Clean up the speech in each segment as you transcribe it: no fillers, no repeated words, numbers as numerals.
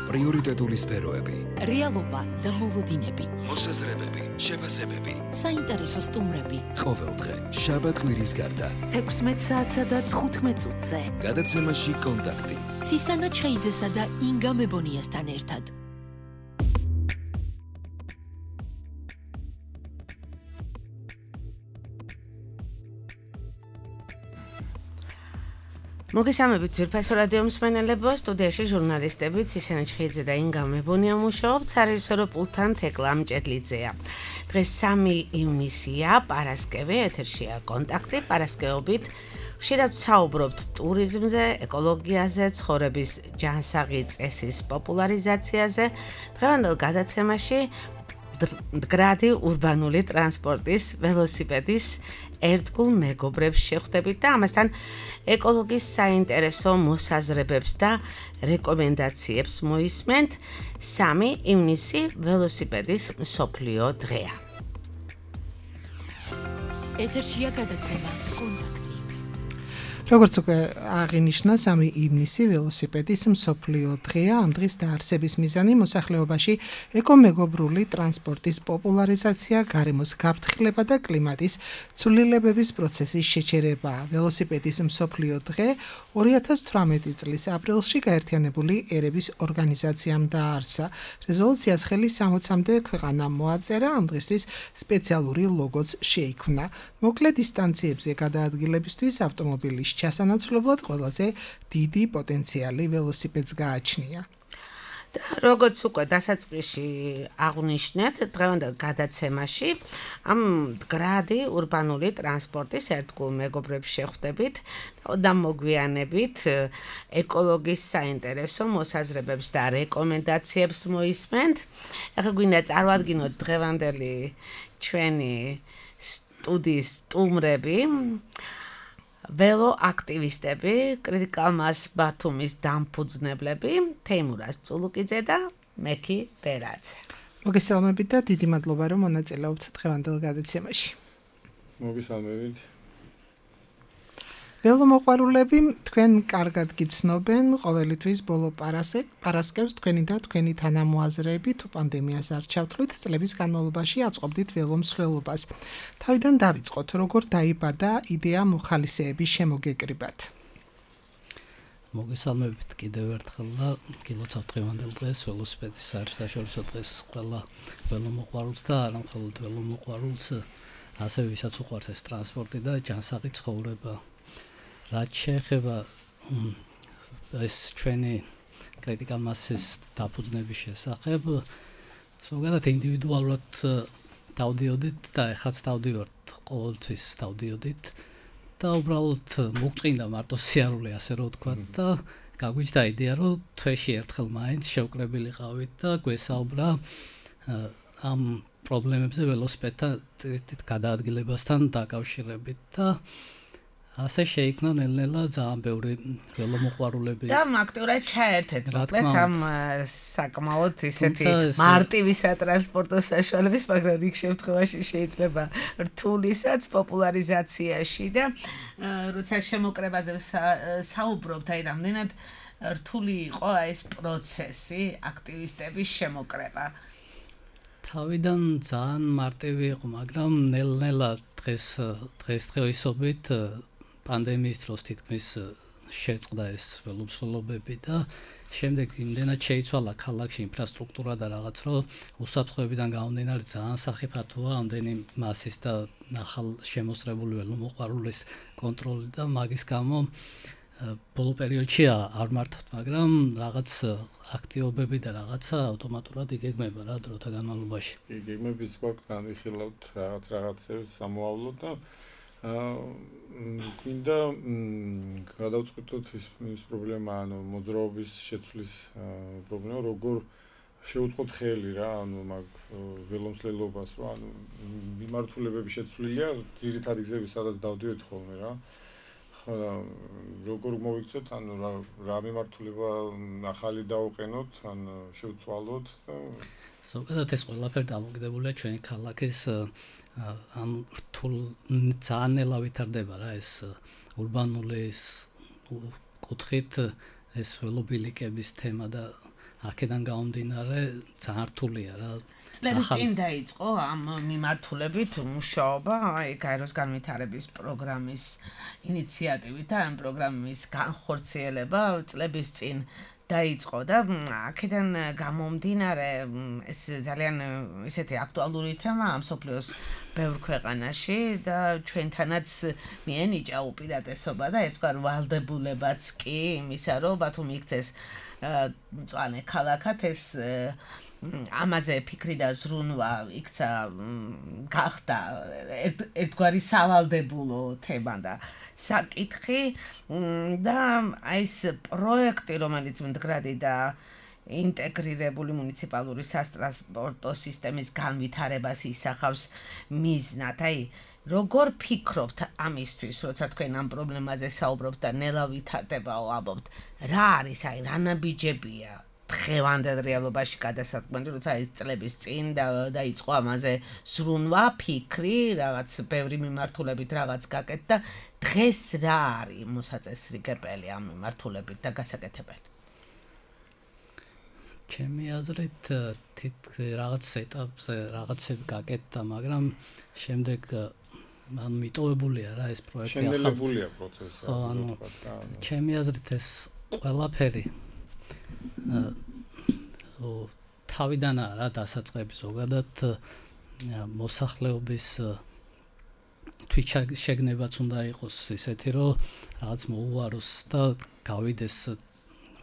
პრიორიტეტული სფეროები, რეალობა და მოლოდინები, მოსაზრებები, შეფასებები, საინტერესო სტუმრები. ყოველდღე, შაბათ-კვირის გარდა, 16 საათსა და 15 წუთზე. გადაცემაში კონტაქტი. ცისანა ჩხეიძესა და ინგა მებონიასთან ერთად. მოგესალმებით ძვირფასო რადიო მსმენელებო, სტუდიაში ჟურნალისტები ცისანა ჩხეიძე და ინგა მებონია მუშაობთ, სარეჟისორო პულტთან თეკლა მჭედლიძეა. დღეს 3 ივნისია, პარასკევი, ეთერშია კონტაქტი, პარასკევობით ხშირად საუბრობთ ტურიზმზე, ეკოლოგიაზე, ცხოვრების ჯანსაღი წესის პოპულარიზაციაზე. დღევანდელ გადაცემაში მდგრადი ურბანული ტრანსპორტის, ველოსიპედის ერთგულ მეგობრებს შეხვდებით და ამასთან ეკოლოგიის საინტერესო მოსაზრებებს და რეკომენდაციებს მოისმენთ. 3 ივნისი ველოსიპედის მსოფლიო დღეა. ეთერშია გადაცემა კონტაქტი. როგორც უკვე აღინიშნა, 3 ივნისი ველოსიპედის მსოფლიო დღეა. ამ დღის დაარსების მიზანი მოსახლეობაში ეკომეგობრული ტრანსპორტის პოპულარიზაცია, გარემოს გაფრთხილება და კლიმატის ცვლილებების პროცესის შეჩერებაა. ველოსიპედის მსოფლიო დღე 2018 წლის აპრილში გაერთიანებული ერების ორგანიზაციამ დააარსა. რეზოლუციას ხელი 60-მდე ქვეყანამ მოაწერა, ამ დღისთვის სპეციალური ლოგოც შეიქმნა. მოკლე დისტანციებზე გადაადგილებისთვის ავტომობილის ჩასანაცვლებლად ყველაზე დიდი პოტენციალი ველოსიპედს გააჩნია. და როგორც უკვე დასაწყისში აღვნიშნეთ, დღევანდელ გადაცემაში ამ მდგრადი ურბანული ტრანსპორტის ერთგულ მეგობრებს შეხვდებით და მოგვიანებით ეკოლოგიის საინტერესო მოსაზრებებს და რეკომენდაციებს მოისმენთ. ახლა გვინდა წარმოადგინოთ დღევანდელი ჩვენი სტუდიის სტუმრები. ველო აქტივისტები, კრიტიკალ მას ბათუმის დამფუძნებლები, თეიმურაზ წულუკიძე და მექი ბერაძე. მოგესალმებით და დიდი მადლობა, რომ მონაწილეობთ დღევანდელ გადაცემაში. მოგესალმებით. ველომოყვარულები თქვენ კარგად გიცნობენ, ყოველთვის ბოლო პარასკევს თქვენი და თქვენი თანამოაზრეები თუ პანდემიას არ ჩავთვლით, წლების განმავლობაში აწყობდით ველომსვლელობას. თავიდან დავიწყოთ, როგორ დაიბადა იდეა მოხალისეების შემოგეკრიბათ. მოგესალმებით კიდევ ერთხელ და გილოცავთ დღევანდელ დღეს ველოსიპედის საერთაშორისო დღეს ყველა ველომოყვარულს და არა მხოლოდ ველომოყვარულს, ასევე ვისაც უყვარს ეს ტრანსპორტი და ჯანსაღი ცხოვრება. რაც შეეხება ეს ჩვენი კრიტიკალ მასის დაფუძნების შესახებ, ზოგადად ინდივიდუალურად დავდიოდით და ეხლაც დავდივართ, ყოველთვის დავდიოდით და უბრალოდ მოგწყინდა მარტო სიარული, ასე რომ ვთქვათ და გაგვიჩნდა იდეა, რომ თვეში ერთხელ მაინც შევკრებილიყავით და გვესაუბრა ამ პრობლემებზე ველოსიპედთან გადაადგილებასთან დაკავშირებით და ასე შეიქმნა ნელ-ნელა ძალიან ბევრი ველომოყვარულები და აქტიურად ჩაერთეთ მოკლედ ამ საკმაოდ ისეთი მარტივი სატრანსპორტო საშუალების, მაგრამ რიგ შემთხვევაში შეიძლება რთულისაც პოპულარიზაციაში და როცა შემოკრებაზე საუბრობთ, აი რამდენად რთული იყო ეს პროცესი, აქტივისტების შემოკრება. თავიდან ძალიან მარტივი იყო, მაგრამ ნელ-ნელა დღესდღეობით პანდემიის დროს თითქმის შეწყდა ეს ველომსვლელობები და შემდეგ იმდენად შეიცვალა ქალაქში ინფრასტრუქტურა და რაღაც, რომ უსაფრთხოებიდან გამომდინარე ძალიან სახიფათოა ამდენი მასის და ახალ შემოსრებული ველომოყვარულის კონტროლი და მაგის გამო ბოლო პერიოდში არ მართავთ, მაგრამ რაღაც აქტივობები და რაღაცა ავტომატურად იგეგმება რა დროთა განმავლობაში. იგეგმების გვაქვს, განვიხილავთ რაღაცებს სამოავლოდ და გვინდა გადავწყვიტოთ ის პრობლემა, ანუ მოძრაობის შეცვლის პრობლემა, როგორ შევუწყოთ ხელი რა, ანუ მაგ ველომსვლელობას, რომ ანუ მიმართულებები შეცვლილია, ძირითადი გზები სადაც დავდივეთ ხოლმე რა. როგორ მოვიქცეთ, ანუ რა მიმართულება ახალი დავუყენოთ, ან შევცვალოთ და ზოგადად ეს ყველაფერი დამოკიდებულია ჩვენი ქალაქის ამ რთულ ძალიან ნელა ვითარდება რა ეს ურბანული კუთხით ეს ველობილიკების თემა და აქედან გამომდინარე ძალიან რთულია რა. წლების წინ დაიწყო ამ მიმართულებით მუშაობა, აი გაეროს განვითარების პროგრამის ინიციატივით და ამ პროგრამის განხორციელება წლების წინ დაიწყო და აქედან გამომდინარე ეს ძალიან ისეთი აქტუალური თემაა მსოფლიოს ბევრ ქვეყანაში და ჩვენთანაც მიენიჭა უპირატესობა და ერთგვარ ვალდებულებაც კი იმისა, რომ ბათუმი იქცეს მწვანე ქალაქად ეს ამაზე ფიქრი და ზრუნვა იქცა გახდა ერთგვარი სავალდებულო თემა და საკითხი და აი ეს პროექტი რომელიც მდგრადი და ინტეგრირებული მუნიციპალური სატრანსპორტო სისტემის განვითარებას ისახავს მიზნად. აი როგორ ფიქრობთ ამისთვის, როცა თქვენ ამ პრობლემაზე საუბრობთ და ნელა ვითარდებაო ამბობთ, რა არის აი რა ნაბიჯებია დღევანდელ რეალობაში გადასაწყვეტი, როცა ეს წლების წინ დაიწყო ამაზე ზრუნვა, ფიქრი, რაღაც ბევრი მიმართულებით რაღაც გაკეთდა, დღეს რა არის მოსაწესრიგებელი ამ მიმართულებით და გასაკეთებელი? ჩემი აზრით რაღაც ეტაპზე რაღაცები გაკეთდა, მაგრამ შემდეგ მიტოვებულია რა ეს პროექტი. შენელებულია პროცესი, ასე ვთქვათ. ჩემი აზრით ეს ყველაფერი თავიდან არა დასაწყები ზოგადად მოსახლეობის თვითშეგნებაც უნდა იყოს ისეთი, რომ რაღაც მოუაროს და გავიდეს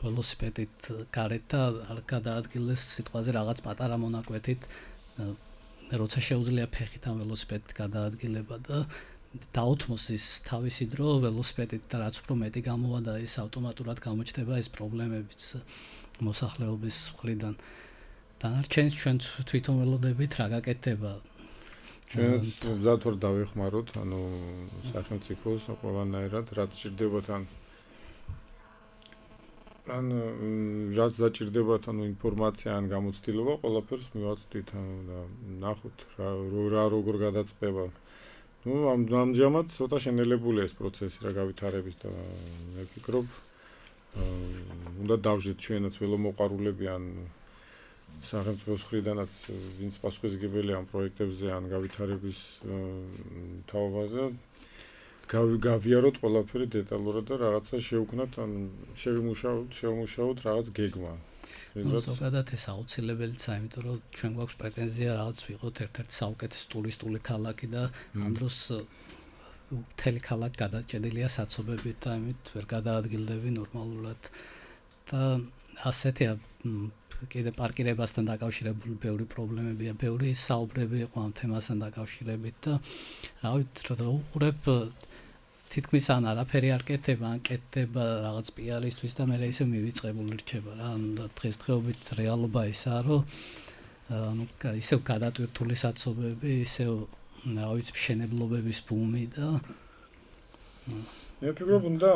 ველოსიპედით გარეთ და არ გადაადგილდეს სიტყვაზე რაღაც პატარა მონაკვეთით, როცა შეუძლია ფეხით ამ ველოსიპედით გადაადგილება და დაუთმოს ის თავისი დრო ველოსიპედით და რაც უფრო მეტი გამოვა და ის ავტომატურად გამოჩნდება ეს პრობლემებიც მოსახლეობის მხრიდან. დანარჩენს ჩვენ თვითონ ველოდებით რა გაკეთდება. ჩვენც მზად ვარ დავეხმაროთ, ანუ სახელმწიფოს ყველანაირად რაც ჭირდებათ ან რაც დაჭირდებათ ანუ ინფორმაცია ან გამოცდილება ყველაფერს მივაწვდით და ნახოთ რა როგორ გადაწყდება. ამჟამად ცოტა შენელებულია ეს პროცესი რა გავითარებით და მე ვფიქრობ უნდა დავждეთ ჩვენაც ველომოყვარულები ან სახელმწიფოს მხრიდანაც ვინც პასუხისმგებელია ამ პროექტებზე ან გავითარების თაობაზე გავიაროთ ყველაფერი დეტალურად და რაღაცა შევქმნათ ან შევმუშაოთ რაღაც გეგმა. ზოგადად ეს აუცილებელია, იმიტომ რომ ჩვენ გვაქვს პრეტენზია რაღაც ვიყოთ ერთ-ერთი საუკეთესო ტურისტული ქალაქი და ამ დროს მთელი ქალაქი გადაჭედილია საცობებით და ამით ვერ გადაადგილდები ნორმალურად და ასეთია კიდე პარკირებასთან დაკავშირებული ბევრი პრობლემებია, ბევრი საუბრები იყო ამ თემასთან დაკავშირებით და რავით რა უყურებ თითქმის ან არაფერი არ კეთდება, ან კეთდება რაღაც პიარისთვის და მე ისე მივიწყებული რჩება რა. დღესდღეობით რეალობა ისაა, რომ ანუ ისევ გადატვირთული საცობები, ისევ რა ვიცი მშენებლობების ბუმი და მე ვფიქრობ უნდა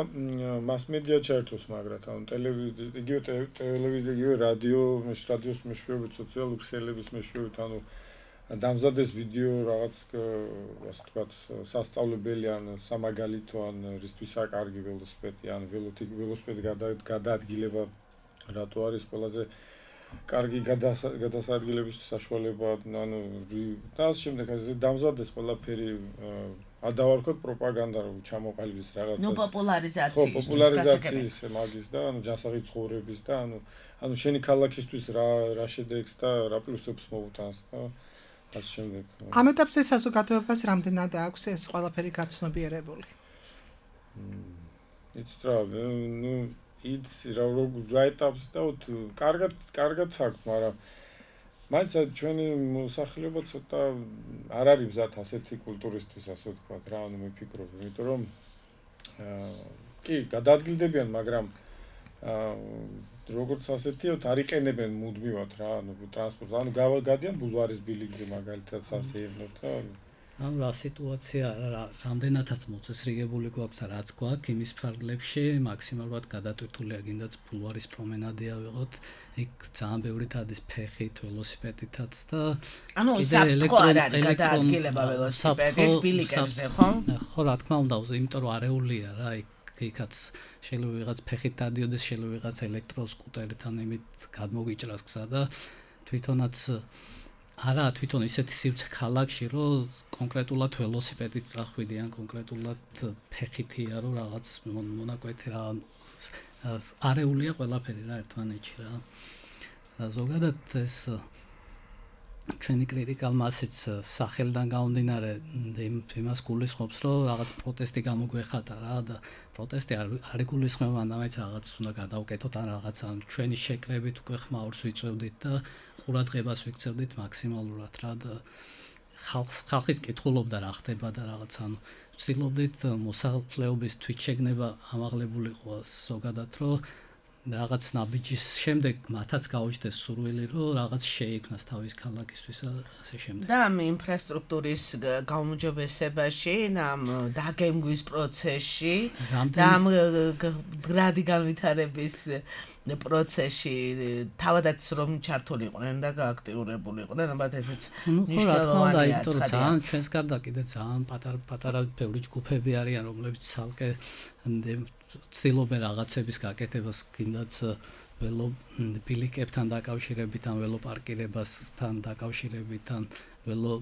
მასმედია ჩაერთოს მაგრად, ანუ ტელევიზია, იგივე რადიოს მეშვეობით, სოციალური ქსელების მეშვეობით, ანუ დამზადეს ვიდეო რაღაც ასე ვთქვათ სასწავლებელი ან სამაგალითო ან რისთვისა კარგი ველოსიპედი ან ველოსიპედი გადაადგილება რატო არის ყველაზე კარგი გადასადგილების საშუალება ანუ და ამ შემდეგ ასე დამზადეს ყველაფერი ადავარქოთ პროპაგანდა რომ ჩამოყალიბდეს რაღაცას პოპულარიზაციის მაგის და ანუ ჯანსაღი ცხოვრების და ანუ შენი ქალაქისთვის რა შედეგს და რა პლუსებს მოუტანს და ასე შემდეგ. ამ ეტაპზე საზოგადოებას რამდენად აქვს ეს ყველაფერი გაცნობიერებული? იცით რა, იცი რა ეტაპს და კარგად აქვს, მაგრამ მაინც ჩვენი მოსახლეობა ცოტა არ არის მზად ასეთი კულტურისთვის, ასე ვთქვათ რა, ანუ მე ვფიქრობ, იმიტომ რომ კი, გადაადგილდებიან, მაგრამ როგორც ასეთიოთ არ იყენებენ მუდმივად რა, ანუ ტრანსპორტს, ანუ გადიან ბულვარის ბილიკზე მაგალითად სასეირნოდ და ანუ რა სიტუაცია რამდენადაც მოწესრიგებული გვაქვს რაც გვაქვს იმის ფარგლებში მაქსიმალურად გადატვირთულია გინდაც ბულვარის პრომენადია ვიყოთ იქ ძალიან ბევრი დადის ფეხით ველოსიპედითაც და ანუ საფრთხე არ არის გადაადგილება ველოსიპედით ბილიკებზე ხო? ხო რა თქმა უნდა იმიტომ რომ არეულია რა იქ იქაც შეიძლება ვიღაც ფეხით დადიოდეს, შეიძლება ვიღაც ელექტროსკუტერით ან იმით გადმოგიჭრას გზა და თვითონაც არა თვითონ ისეთი სივრცე ქალაქში, რომ კონკრეტულად ველოსიპედით წახვიდიან, კონკრეტულად ფეხითია, რომ რაღაც მონაკვეთი რა არეულია ყველაფერი რა ერთმანეთში რა. ზოგადად ეს ჩვენი კრიტიკალ მასიც სახელიდან გამომდინარე იმას გულისხმობს, რომ რაღაც პროტესტი გამოგვეხატა რა და პროტესტი არ იგულისხმება, მანდ რაღაც უნდა გადავკეთოთ ან რაღაც ან ჩვენი შეკრებით უკვე ხმაურს ვიწევდით და ყურადღებას ვიქცევდით მაქსიმალურად რა და ხალხის კითხულობდა რა ხდება და რაღაც ან ვცდილობდით მოსახლეობის თვითშეგნება ამაღლებულიყო ზოგადად, რომ რაღაც ნაბიჯის შემდეგ მათაც გაუჩნდეს სურვილი, რომ რაღაც შეიქმნას თავის ქალაქისთვის და ასე შემდეგ. და ამ ინფრასტრუქტურის გაუმჯობესებაში, ამ დაგემგვის პროცესში და ამ გრადი განვითარების პროცესში თავადაც რომ ჩართულიყვნენ და გააქტიურებულიყვნენ, ალბათ ესეც მნიშვნელოვანია. იმიტომ რომ ძალიან ჩვენს გარდა კიდე ძალიან პატარა ბევრი ჯგუფები არიან, რომლებიც ცალკე ცდილობენ რაღაცების გაკეთებას, კიდაც ველობილიკებთან დაკავშირებით, ან ველოპარკირებასთან დაკავშირებით, ან ველო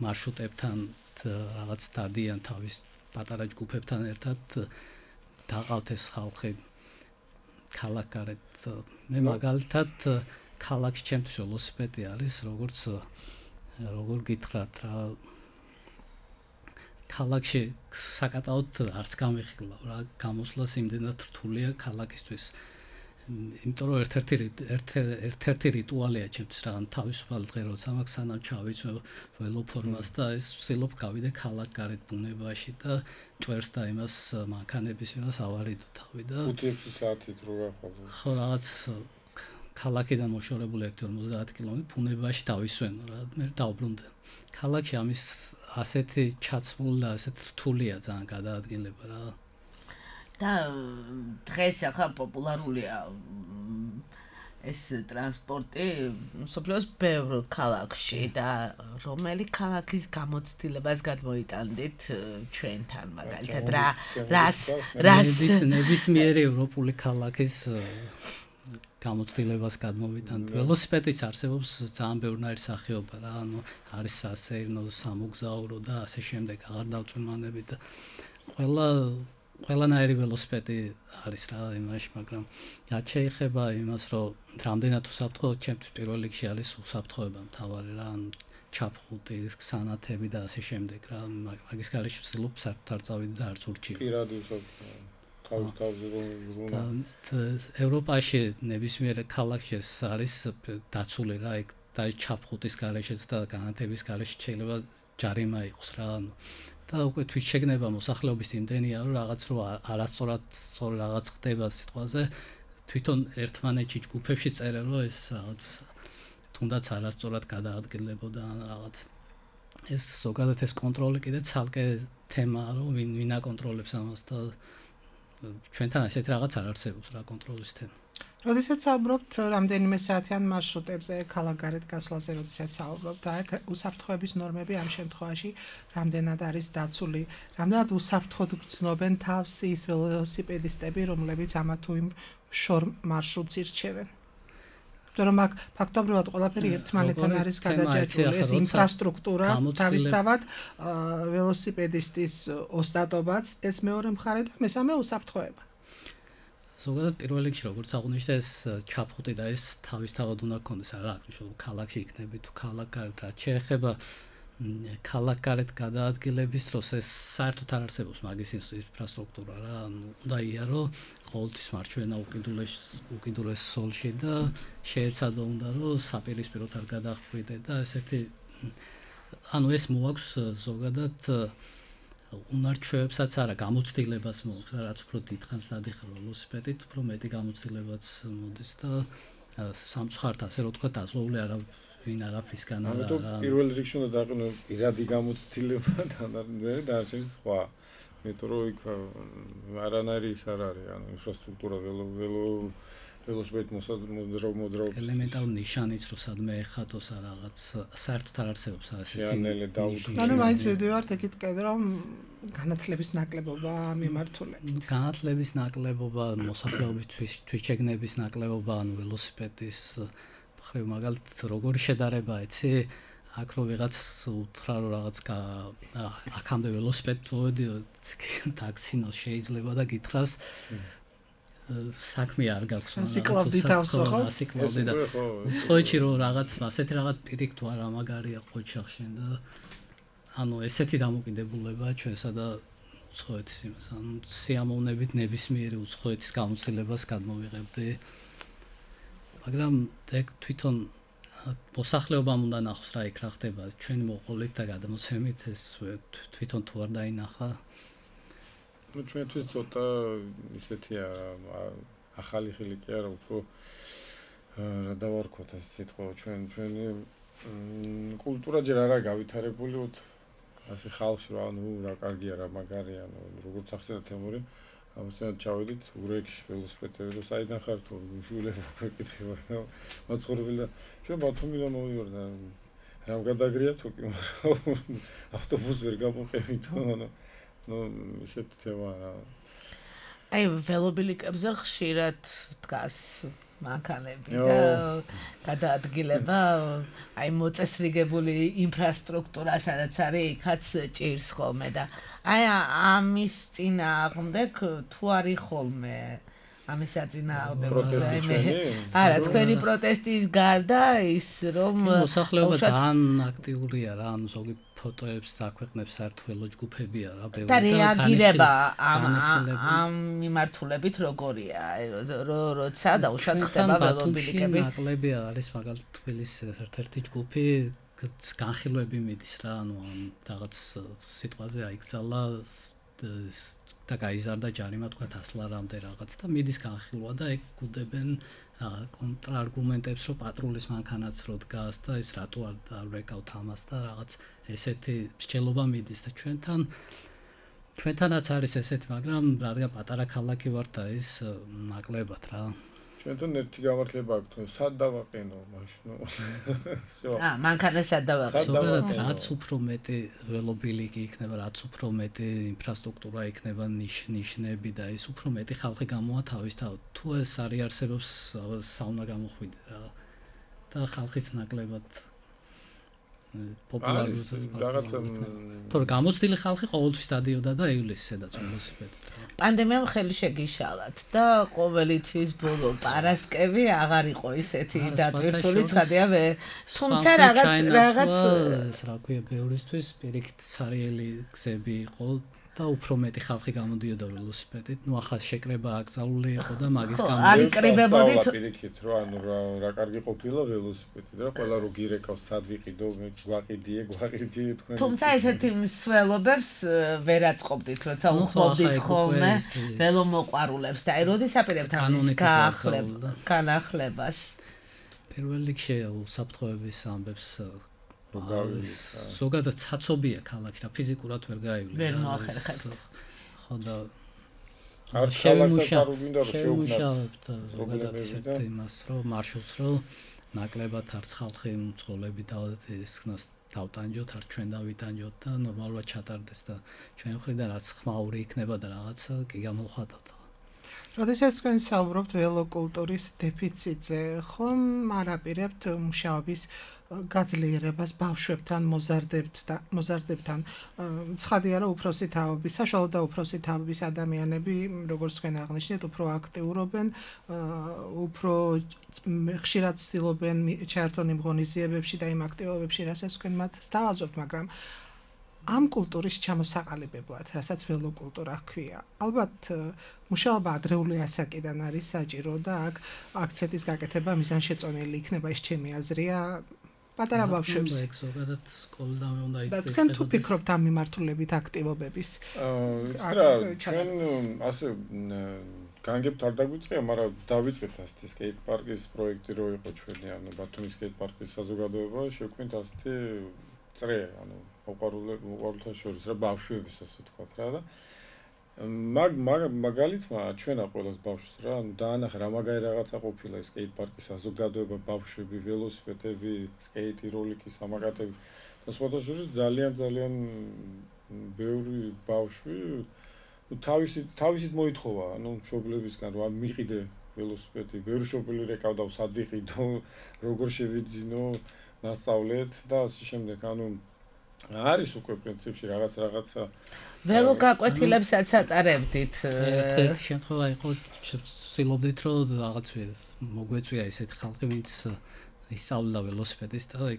მარშრუტებთან რაღაც დადიან თავის პატარა ჯგუფებთან ერთად დაყავთ ეს ხალხი ქალაქგარეთ. მე მაგალითად ქალაქში ჩემთვის ველოსიპედი არის, როგორ გითხრათ რა ქალაქში საკატაოდ არც გამიხილავ რა, გამოსვლას იმდენად რთულია ქალაქისთვის. იმიტომ რომ ერთ-ერთი რიტუალია ჩემთვის რა, თავისუფალი დღე როცა მაქვს სანამ ჩავიწვევ ველოფორმას და ეს ვცდილობ გავიდე ქალაქგარეთ ბუნებაში და ტვერს და იმას მანქანების იმას ავარიდო თავი და 5-6 საათით რო გახვავდა. ხო რაღაც ქალაქიდან მოშორებული 1-50 კილომეტრი ბუნებაში დავისვენო რა, მე დავბრუნდე. ქალაქში ამის ასეთი ჩაცმული და ასეთ რთულია ძალიან გადაადგილება რა. და დღეს ახლა პოპულარულია ეს ტრანსპორტი მსოფლიოს ბევრ ქალაქში და რომელი ქალაქის გამოცდილებას გადმოიტანდით ჩვენთან მაგალითად რას ნებისმიერი ევროპული ქალაქის გამოცდილებას გადმოვიტანთ. ველოსიპედიც არსებობს ძალიან ბევრნაირი სახეობა რა, ანუ არის სასეირნო, სამოგზაურო და ასე შემდეგ, აღარ დავწუნმანებით და ყველანაირი ველოსიპედი არის რა იმაში, მაგრამ რაც შეეხება იმას, რომ რამდენად უსაფრთხოა, ჩემთვის პირველ რიგში არის უსაფრთხოება მთავარი რა, ანუ ჩაფხუტი, სანათები და ასე შემდეგ რა, მაგის გარეშე ვცდილობ საერთოდ არ წავიდე და არც ურჩიო. პირადი უსაფრთხოება. თავზე რომ ევროპაში ნებისმიერ ქალაქში არის დაცული რა, იქ და ჩაფხუტის გარეშეც და განათების გარეშე შეიძლება ჯარიმა იყოს რა, და უკვე თვითშეგნება მოსახლეობის იმდენია, რომ რაღაც რო არასწორად რაღაც ხდება სიტყვაზე, თვითონ ერთმანეთში ჯგუფებში წერენ, რომ ეს რაღაც თუნდაც არასწორად გადაადგილებოდა რაღაც. ეს ზოგადად ეს კონტროლი კიდე ცალკე თემაა, რომ ვინ აკონტროლებს ამას და ჩვენთან ესეთ რაღაც არ არსებობს რა კონტროლის თემა. როდესაც საუბრობთ რამდენიმე საათიან მარშრუტებზე, ქალაქგარეთ გასვლაზე, როდესაც საუბრობთ, და უსაფრთხოების ნორმები ამ შემთხვევაში რამდენად არის დაცული, რამდენად უსაფრთხოდ გრძნობენ თავს ის ველოსიპედისტები, რომლებიც ამა თუ იმ შორ მარშრუტს ირჩევენ. რომ აქ ფაქტობრივად ყველაფერი ერთმანეთთან არის გადაჯაჭვული, ეს ინფრასტრუქტურა თავისთავად ველოსიპედისტის ოსტატობაც, ეს მეორე მხარე და მესამე უსაფრთხოება. ზოგადად პირველ რიგში როგორც აღნიშნე ეს ჩაფხუტი და ეს თავისთავად უნდა გქონდეს, არა აქვს მნიშვნელობა ქალაქში იქნება თუ ქალაქგარეთ, რაც შეეხება ქალაქგარეთ გადაადგილების დროს ეს საერთოდ არ არსებობს მაგის ინფრასტრუქტურა რა, უნდა იარო ყოველთვის მარჩვენა უკიდურეს სოლში და შეეცადო უნდა რომ საპირისპიროდ არ გადახვიდე და ესეთი ანუ ეს მოაქვს ზოგადად უნარჩვევებსაც არა, გამოცდილებას მოაქვს რა, რაც უფრო დიდხანს დადიხარ ველოსიპედით, უფრო მეტი გამოცდილებაც მოდის და სამწუხაროდ ასე რომ თქვა დაზღვეული არა ვინ არაფრისგან არა. პირველ რიგში უნდა დაყენო პირადი გამოცდილება და დარჩენს სხვა. მეტრო იქ არანაირი ის არ არის, ანუ ინფრასტრუქტურა ველოსიპედ მოძრაობის ელემენტარული ნიშანიც რო სადმე ეხატოს რაღაც საერთოდ არ არსებობს ასეთი შეანელე დაუთმო. ანუ მაინც მივიდივართ ეგეთ კიდე რომ განათლების ნაკლებობა მიმართულებით. განათლების ნაკლებობა, მოსახლეობის თვითშეგნების ნაკლებობა, ანუ ველოსიპედის მხრივ მაგალითად როგორი შედარება იცი? აქ რო ვიღაც უთხრა რომ რაღაც აქამდე ველოსიპედით მოვედი ტაქსინოს შეიძლება და გითხრას საქმე არ გაქვს სიკლავდი თავსო ხო? სიკლავდი და ხოჭი რომ რაღაც ასეთი რაღაც პირიქ თუ არა მაგარია ხოჭახშენ და ანუ ესეთი დამოკიდებულება ჩვენსა და უცხოეთის იმას ანუ სიამოვნებით ნებისმიერი უცხოეთის გამოცდილებას გადმოვიღებდი მაგრამ ეგ თვითონ მოსახლეობამ უნდა ნახოს რა იქ რა ხდება ჩვენი მოყოლით და გადამოცემით ეს თვითონ თუ არ დაინახა ну ჩვენთვის ცოტა ისეთია ახალი ხილი კი არა უფრო რა დავარქვათ ეს სიტყვა ჩვენი კულტურა ჯერ არა გავითარებული ასე ხალხში რა ნუ რა კარგია რა მაგარია ნუ როგორც ახსენე თემური ამიტომ ჩავედით ურეკში ველოსიპედზე და საიდან ხარ თუ უშულებ გეკითხება რა მოცხოვრებელი და ჩვენ ბათუმიდან მოვიდოდი და რამ გადაგრია თუ კი მაგრამ ავტობუსს ვერ გამოყევით ანუ ну ისეთ თემაა აი ველობილიკებზე ხშირად დგას მანქანები და გადაადგილება აი მოწესრიგებული ინფრასტრუქტურა სადაც არის იქაც ჭირს ხოლმე და აი ამის წინააღმდეგ თუ არის ხოლმე ამის აწინააღმდეგ არა თქვენი პროტესტის გარდა ის რომ მოსახლეობა ძალიან აქტიურია რა ანუ ზოგი ფოტოებს დაქვეყნებს საერთო ჯგუფებია რა ბევრი და რეაგირება ამ მიმართულებით როგორია როცა დაუშვათ ხდება ველობილიკები ნაკლები არის მაგალითად თბილისის ერთ-ერთი ჯგუფი განხილვები მიდის რა ანუ რაღაც სიტყვაზე აიქცალა და გაიზარდა ჯარიმა თქვა 100 ლარამდე რაღაც და მიდის განხილვა და ეგ გუდებენ კონტრარგუმენტებს რომ პატრულის მანქანაც რო დგას და ეს რატო არ ვეკავთ ამას და რაღაც ესეთი მსჯელობა მიდის და ჩვენთანაც არის ესეთი მაგრამ რადგან პატარა ქალაქი ვარ და ის ნაკლებად რა ჩვენთან ერთი გამართლება აქვს თუ სად დავაყენო მაშინ მანქანა სად დავაყენო რაც უფრო მეტი ველობილიკი იქნება რაც უფრო მეტი ინფრასტრუქტურა იქნება ნიშნები და ის უფრო მეტი ხალხი გამოვა თავისთავად თუ ეს არ არსებობს საუნა გამოხვიდე რა და ხალხის ნაკლებად პოპულარიზაცია რაღაცა თორე გამოცდილი ხალხი ყოველთვის დადიოდა და ივლისს სადაც ველოსიპედით პანდემიამ ხელი შეგიშალათ და ყოველი თვის ბოლო პარასკევი აღარ იყო ისეთი დატვირთული ცხადია თუმცა რაღაც რა ქვია ბევრისთვის პირიქით სარიელი გზები იყო და უფრო მეტი ხალხი გამოდიოდა ველოსიპედით. ნუ ახლა შეკრება აკრძალული იყო და მაგის გამო არ იკრიბებოდით პირიქით, რომ ანუ რა კარგი ყოფილა ველოსიპედი და ყველა რო გირეკავს სად ვიყიდო, გვაყიდიე თქვენ. თუმცა ესეთი მსვლელობებს ვერ აწყობდით, როცა უხმობდით ხოლმე ველომოყვარულებს და აი როდის აპირებთ ამის განახლებას. პირველ რიგში უსაფრთხოების ამბებს ზოგადად ცაცობია ქალაქში და ფიზიკურად ვერ გაივლი. ვერ მოახერხებთ. ხო და არ ქალაქსაც არ უგინდა რომ შეუქმნათ ზოგადად ისეთ იმას რომ მარშრუტს რომ ნაკლებად არც ხალხი მძღოლები და ისქნას დავტანჯოთ, არ ჩვენ დავიტანჯოთ და ნორმალურად ჩატარდეს და ჩვენ ხრიდან რაც ხმაური იქნება და რაღაცა კი გამოვხატოთ. როდესაც თქვენ საუბრობთ ველოკულტურის დეფიციტზე, ხომ არ აპირებთ მუშაობის გაძლიერებას ბავშვებთან, მოზარდებთან. ცხადია რომ უფროსი თაობის, საშუალო და უფროსი თაობის ადამიანები, როგორც თქვენ აღნიშნეთ, უფრო აქტიურობენ, უფრო ხშირად ცდილობენ ჩაერთონ იმ ღონისძიებებში და იმ აქტივობებში, რასაც თქვენ მათ სთავაზობთ, მაგრამ ამ კულტურის ჩამოსაყალიბებლად, რასაც ველოკულტურა ჰქვია. ალბათ მუშაობა ადრეული ასაკიდან არის საჭირო და აქ აქცენტის გაკეთება მიზანშეწონილი იქნება, ეს ჩემი აზრია. პატარა ბავშვებს ზოგადად სკოლიდან უნდა იცეცხლოს. და თქვენ თუ ფიქრობთ ამ მიმართულებით აქტივობების? ჩვენ ასე განგებთ არ დაგვიწყია, მაგრამ დავიწყეთ ასეთი სკეიტ პარკის პროექტი რო იყო ჩვენი, ანუ ბათუმის სკეიტ პარკის საზოგადოება შევქმნით ასეთი წრე, ანუ მოყვარულთა შორის რა ბავშვების ასე ვთქვათ რა და მაგალითმა ჩვენა ყველას ბავშვს რა, დაანახა რა მაგარი რაღაცა ყოფილა ეს სკეიტ-პარკის საზოგადოება, ბავშვები, ველოსიპედები, სკეიტი, როლიკი, სამაკატები. და სხვადასხვა ძალიან ბევრი ბავშვი თავისით მოითხოვა, მშობლებისგან რა მიყიდე ველოსიპედი, ბევრი მშობელი რეკავდა, სად ვიყიდო, როგორ შევიძინო, ნასწავლეთ და ასე შემდეგ, არის უკვე პრინციპში რაღაცა ველო გაკვეთილებსაც ატარებდით. ერთ შემთხვევა იყო, ვცდილობდით რომ რაღაც მოგვეწვია ესეთი ხალხი, ვინც ისწავლიდა ველოსიპედის და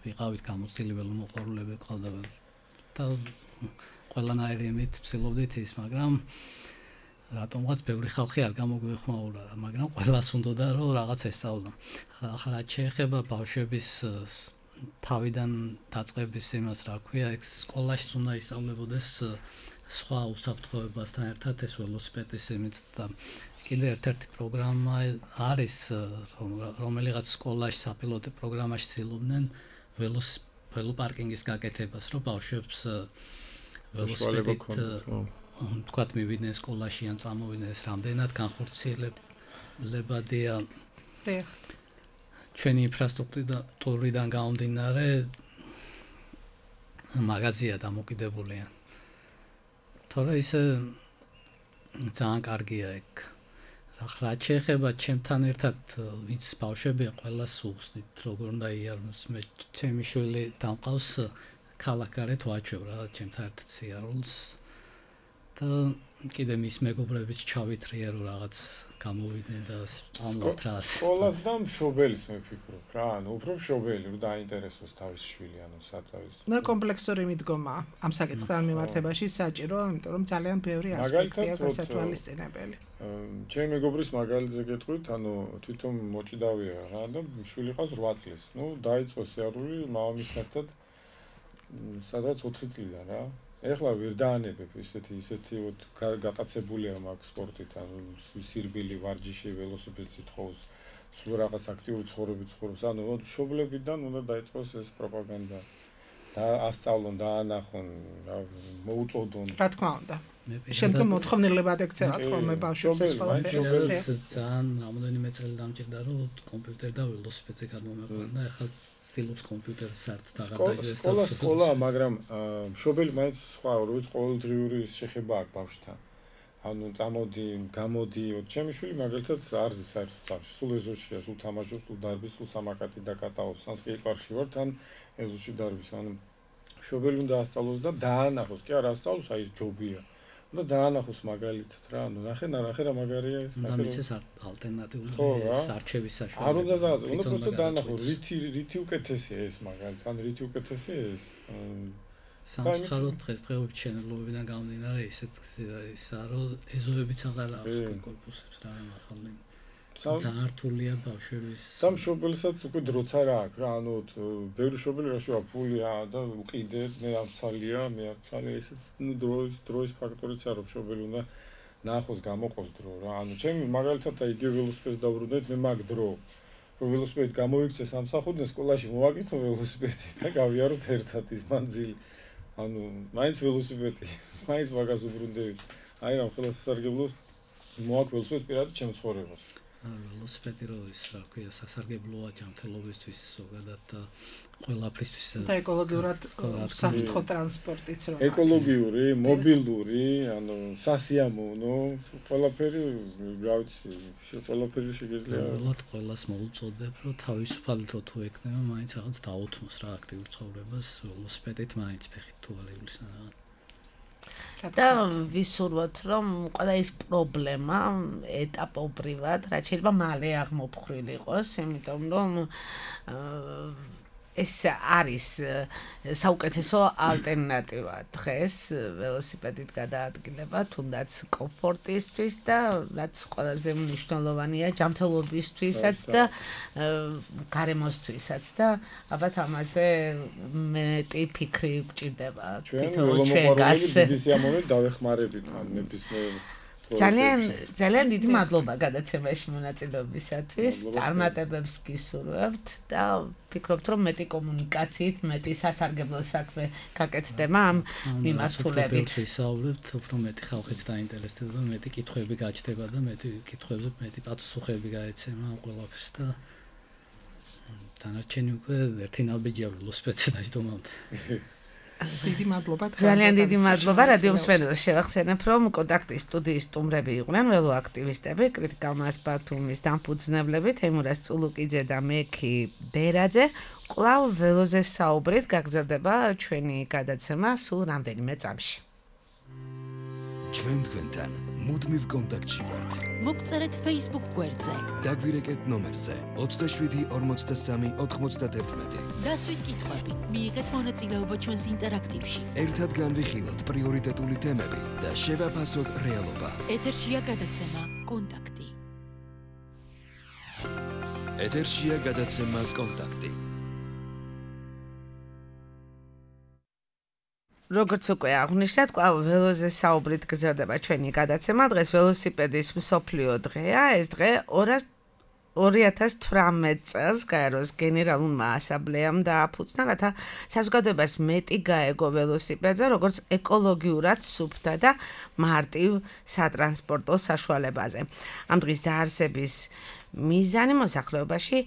ვიყავით გამოცდილი ველომოყვარულები ყავდა და ყველანაირი იმით ვცდილობდით ის, მაგრამ რატომღაც ბევრი ხალხი არ გამოგვეხმაურა, მაგრამ ყველას უნდოდა რომ რაღაც ესწავლა. ახლა შეეხება ბავშვების თავიდან დაწყების იმას რა ქვია, ეგ სკოლაშიც უნდა ისწავლებოდეს სხვა უსაფრთხოებასთან ერთად ეს ველოსიპედის იმით და კიდე ერთ-ერთი პროგრამა არის, რომელიღაც სკოლაში საპილოტო პროგრამაში ცდილობდნენ ველოპარკინგის გაკეთებას, რომ ბავშვებს ველოსიპედით თქვათ მივიდნენ სკოლაში ან წამოვიდნენ, ეს რამდენად განხორციელებადია ჩვენი ინფრასტრუქტურიდან გამომდინარე მაღაზია დამოკიდებულია. თორე ისე ძალიან კარგია ეგ. რა შეეხება ჩემთან ერთად ვინც ბავშვებია, ყველას უხსნით როგორ უნდა იაროს. მე ჩემი შვილი დამყავს ქალაქგარეთ ვაჩვევ რა ჩემთან ერთად სიარულს და კიდე მის მეგობრებიც ჩავითრია რომ რაღაც გამოვიდნენ და ამბობთ რა. სკოლას და მშობელის მე ვფიქრობ რა, უფრო მშობელი რომ დაინტერესოს თავის შვილი, საწავის. კომპლექსური მიდგომა ამ საკითხთან მიმართებაში საჭირო, იმიტომ რომ ძალიან ბევრი ასპექტია გასათვალისწინებელი. ჩემი მეგობრის მაგალითზე გეტყვით, თვითონ მოჭიდავია რა და შვილი ყავს 8 წლის. დაიწყო სიარული მამამისთან ერთად სადღაც 4 წლიდან რა. ეხლა ვერ დაანებებ ისეთი გატაცებულია მაგ სპორტით, სირბილი, ვარჯიში, ველოსიპედით თხოვს, სულ რაღაც აქტიური ცხოვრებით ცხოვრობს. მშობლებიდან უნდა დაიწყოს ეს პროპაგანდა. და ასწავლონ, დაანახონ, მოუწოდონ. რა თქმა უნდა. შემდგომ მოთხოვნილებად ექცევათ ხოლმე ბავშვებს ეს ყველაფერი. ძალიან რამოდენიმე წელი დამჭირდა რომ კომპიუტერი და ველოსიპედზე გადმომეყვანა, ახლა ცდილობს კომპიუტერს საერთოდ აღარ დაიწყოს. სკოლა, მაგრამ მშობელი მაინც სხვა როიც ყოველდღიური შეხება აქვს ბავშვთან. გამოდი, ჩემი შვილი მაგალითად არზე საერთოდ წავში, სულ ეზოშია, სულ თამაშობს, სულ დარბის, სულ სამაკატი დაკატაობს, ან სკეიტ-პარკში ვართ, ან ეზოში დარბის, მშობელი უნდა ასწავლოს და დაანახოს, კი არა ასწავლოს, აი ეს ჯობია. და დაანახოს მაგალითად რა, ნახე რა მაგარია ეს. და მის ეს ალტერნატიული არჩევის საშუალება. არ უნდა დააწყო, უნდა просто დაანახო, რითი უკეთესია ეს მაგალითად, ან რითი უკეთესია ეს. სამწუხაროდ დღესდღეობით შენებლობიდან გამომდინარე ისაა, რომ ეზოებიც აღარ აქვს კორპუსებს რა ახალნი. ძალიან რთულია ბავშვების. სამ მშობელსაც უკვე დროც არ აქვს რა, ბევრი მშობელი რა შევა ფულია და უყიდეთ, მე ამცალია, ესეც დროის ფაქტორიც არის, მშობელი უნდა ნახოს, გამოყოს დრო რა. ჩემი მაგალითად იგივე ველოსიპედს დავბრუნდეთ, მე მაგ დრო რომ ველოსიპედი გამოიქცე სამსახურიდან სკოლაში მოვაკითხო ველოსიპედი და გავიაროთ ერთად ის მანძილი. მაინც ველოსიპედი, მაინც მაგას უბრუნდებით. აი რა ხელა სასარგებლოს მოაქვს ველოსიპედი პირადად ჩემს ცხოვრებას. ველოსიპედი რო ის რა ქვია სასარგებლოა ჯანმრთელობისთვის ზოგადად და ყველაფრისთვის და ეკოლოგიურად საფრთხო ტრანსპორტიც რო ეკოლოგიური, მობილური, სასიამოვნო, ყველაფერი, რა ვიცი, ყველაფერი შეგეძლია. ყველას მოუწოდებ, რომ თავისუფალი დრო თუ ეკნება, მაინც რაღაც დაუთმოს რა აქტიურ ცხოვრებას, ველოსიპედით მაინც ფეხით თუ არ ივლის რაღაც. და ვისურვოთ, რომ ყველა ეს პრობლემა ეტაპობრივად, რაც შეიძლება მალე აღმოფხრილი იყოს, იმიტომ რომ ეს არის საუკეთესო ალტერნატივა დღეს ველოსიპედით გადაადგილება, თუნდაც კომფორტისთვის და რაც ყველაზე მნიშვნელოვანია ჯანმრთელობისთვისაც და გარემოსთვისაც და ალბათ ამაზე მეტი ფიქრი გჭირდება თითოეულ ჩვენგანს. დიდი სიამოვნებით დავეხმარებით ნებისმიერ ძალიან დიდი მადლობა გადაცემაში მონაწილეობისათვის. წარმატებებს გისურვებთ და ვფიქრობთ, რომ მეტი კომუნიკაციით, მეტი სასარგებლო საქმე გაკეთდება ამ მიმართულებით. ვისაუბრებთ, უფრო მეტი ხალხიც დაინტერესდება და მეტი კითხვები გაჩნდება და მეტი კითხვებზე მეტი პასუხები გაეცემა ამ ყველაფერს და დანარჩენი უკვე ერთი ნაბიჯია ველოსიპედზე დაჯდომამდე. დიდი მადლობა. ძალიან დიდი მადლობა რადიო მსმენელს. შევახსენებ, რომ კონტაქტის სტუდიის სტუმრები იყვნენ ველო აქტივისტები, კრიტიკალ-მას ბათუმის დამფუძნებლები თეიმურაზ წულუკიძე და მექი ბერაძე. კვლავ ველოზე საუბრით გაგრძელდება ჩვენი გადაცემა სულ რამდენიმე წამში. ჩვენ თქვენთან მუდმივ კონტაქტში ვართ. მოგწერეთ Facebook გვერდზე. დაგვირეკეთ ნომერზე 27 43 91. დასვით კითხვები, მიიღეთ მონაწილეობა ჩვენს ინტერაქტივში. ერთად განვიხილოთ პრიორიტეტული თემები და შევაფასოთ რეალობა. ეთერშია გადაცემა კონტაქტი. ეთერშია გადაცემა კონტაქტი. როგორც უკვე აღნიშნეთ, კვლავ ველოზე საუბრით გრძელდება ჩვენი გადაცემა. დღეს ველოსიპედის მსოფლიო დღეა. ეს დღე 2018 წელს გაეროს გენერალურმა ასამბლეამ დააფუძნა, რათა საზოგადოებას მეტი გაეგო ველოსიპედზე, როგორც ეკოლოგიურად სუფთა და მარტივ სატრანსპორტო საშუალებაზე. ამ დღის დაარსების მიზანი მოსახლეობაში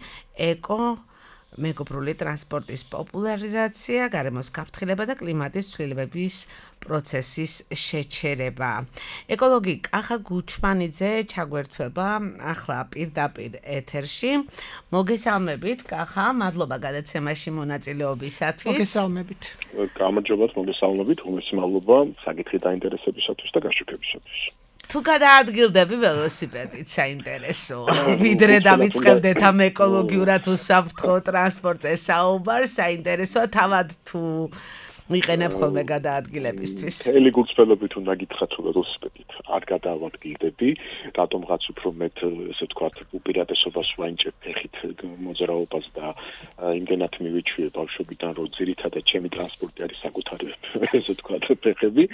მეგობრული ტრანსპორტის პოპულარიზაცია, გარემოს გაფრთხილება და კლიმატის ცვლილებების პროცესის შეჩერება. ეკოლოგი კახა გუჩმანიძე ჩაგვერთვება ახლა პირდაპირ ეთერში. მოგესალმებით კახა, მადლობა გადაცემაში მონაწილეობისათვის. მოგესალმებით. გამარჯობათ, მოგესალმებით, უმეტესი მადლობა საკითხი დაინტერესებისათვის და გაშუქებისათვის. თუ გადაადგილდები ველოსიპედით საინტერესო. ვიდრე დავიწყებდეთ ამ ეკოლოგიურად უსაფრთხო ტრანსპორტზე საუბარს, საინტერესოა თავად თუ ვიყენებ ხოლმე გადაადგილებისთვის. მთელი გულწრფელობით უნდა გითხრათ, რომ ველოსიპედით არ გადავადგილდები, რატომღაც უფრო მეტ, ესე ვთქვათ, უპირატესობას ვაინჭებ ფეხით მოძრაობას და იმდენად მივიჩვიე ბავშვობიდან, რომ ძირითადად ჩემი ტრანსპორტი არის საკუთარი, ესე ვთქვათ, ფეხები,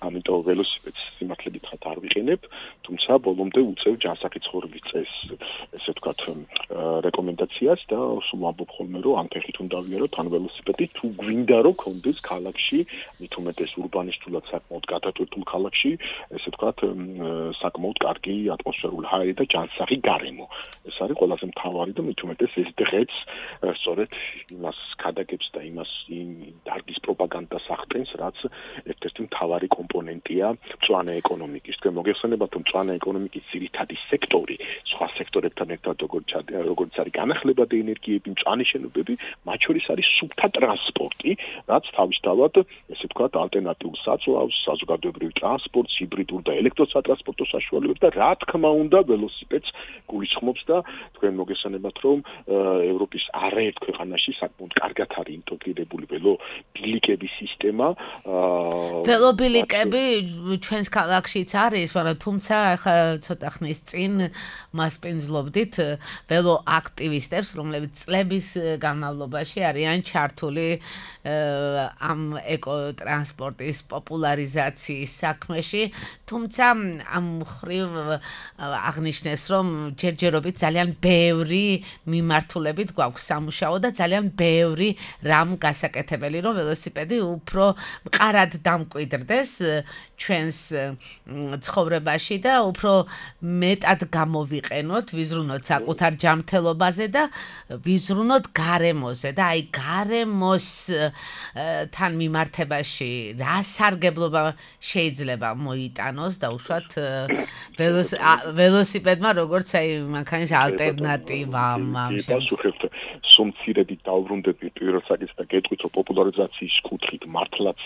ამიტომ ველოსიპედს სიმართლე გითხრათ არ ვიყენებ, თუმცა ბოლომდე უწევ ჯანსაღი ცხოვრების წესს, ესე ვთქვათ, რეკომენდაციას და სულ ვამბობ ხოლმე, რომ ან ფეხით უნდა ვიაროთ, ან ველოსიპედით, თუ გვინდა რომ კონდეს ქალაქში, მით უმეტეს ურბანისტულად საკმაოდ გადატვირთულ ქალაქში, ესე ვთქვათ, საკმაოდ კარგი ატმოსფერული ჰაერი და ჯანსაღი გარემო. ეს არის ყველაზე მთავარი და მით უმეტეს ეს დღეც სწორედ იმას ქადაგებს და იმას დარგის პროპაგანდას ახდენს, რაც ერთ-ერთი მთავარი კომპონენტია მწვანე ეკონომიკის. თქვენ მოგეხსენებათ, რომ მწვანე ეკონომიკის ძირითადი სექტორი, სხვა სექტორებთან ერთად როგორც არის განახლება და ენერგიები, მწვანე შენობები, მათ შორის არის სუფთა ტრანსპორტი, რაც თავისთავად, ესე ვთქვათ, ალტერნატიულ საწვავს, საზოგადოებრივ ტრანსპორტს, ჰიბრიდულ და ელექტროსატრანსპორტო საშუალებებს და რა თქმა უნდა, ველოსიპედს გულისხმობს და თქვენ მოგესალმებით, რომ ევროპის არაერთ ქვეყანაში საკმაოდ კარგად არის ინტეგრირებული ველობილიკების სისტემა. ველობილიკები ჩვენს ქალაქშიც არის, მაგრამ თუმცა ახლა ცოტა ხნის წინ მასპინძლობდით ველო აქტივისტებს, რომლებიც წლების განმავლობაში არიან ჩართული ამ ეკოტრანსპორტის პოპულარიზაციის საქმეში, თუმცა ამ მხრივ აღნიშნეს, რომ ჯერჯერობით ძალიან ბევრი მიმართულებით გვაქვს სამუშაო და ძალიან ბევრი რამ გასაკეთებელი, რომ ველოსიპედი უფრო მყარად დამკვიდრდეს ჩვენს ცხოვრებაში და უფრო მეტად გამოვიყენოთ, ვიზრუნოთ საკუთარ ჯანმრთელობაზე და ვიზრუნოთ გარემოზე და აი გარემოს თან მიმართებაში რა სარგებლობა შეიძლება მოიტანოს და უშუალოდ ველოსიპედმა როგორც აი მანქანის ალტერნატივა ამ შემთხვევაში სუმცირებით დავბრუნდები პირველ საკითხს და გეტყვით, რომ პოპულარიზაციის კუთხით მართლაც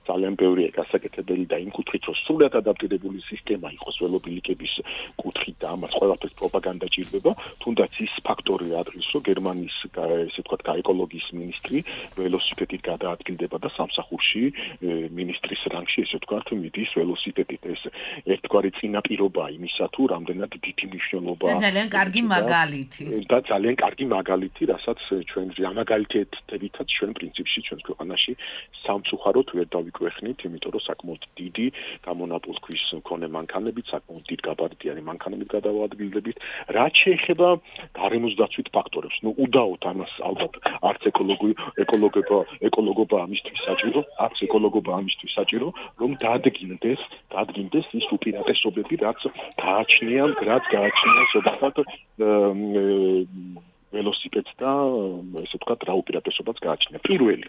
ძალიან ბევრია გასაკეთებელი და იმ კუთხით, რომ სრულად ადაპტირებული სისტემა იყოს ველობილიკების კუთხით და ამას ყველაფერს პროპაგანდა ჭირდება, თუნდაც ის ფაქტორი არის, რომ გერმანიის ესე ვთქვათ, ეკოლოგიის მინისტრი ველოსიპედით გადაადგილდება და სამსახურში მინისტრის რანგში, ესე ვთქვათ, მიდის ველოსიპედით. ეს ერთგვარი წინაპირობა იმისა, თუ რამდენად დიდი მნიშვნელობა და ძალიან კარგი მაგალითი. და ძალიან კარგი მაგალითი, რასაც ჩვენ ამაგალითებითაც ჩვენ პრინციპში ჩვენს ქვეყანაში სამწუხაროდ ვერ დავიკვეხნით, იმიტომ რომ საკმაოდ დიდი გამონაპოლქვის მქონე მანქანებით, საკმაოდ დიდ გაბარიტიანი მანქანებით გადავაადგილდებით. რაც შეეხება გარემოს დაცვით ფაქტორებს, უდაოდ ამას ალბათ არც ეკოლოგობა ამისთვის საჭირო, რომ დადგინდეს ის უპირატესობები, რაც გააჩნია ზოგადად ველოსიპედს და ესე ვთქვათ რა უპირატესობაც გააჩნია. პირველი,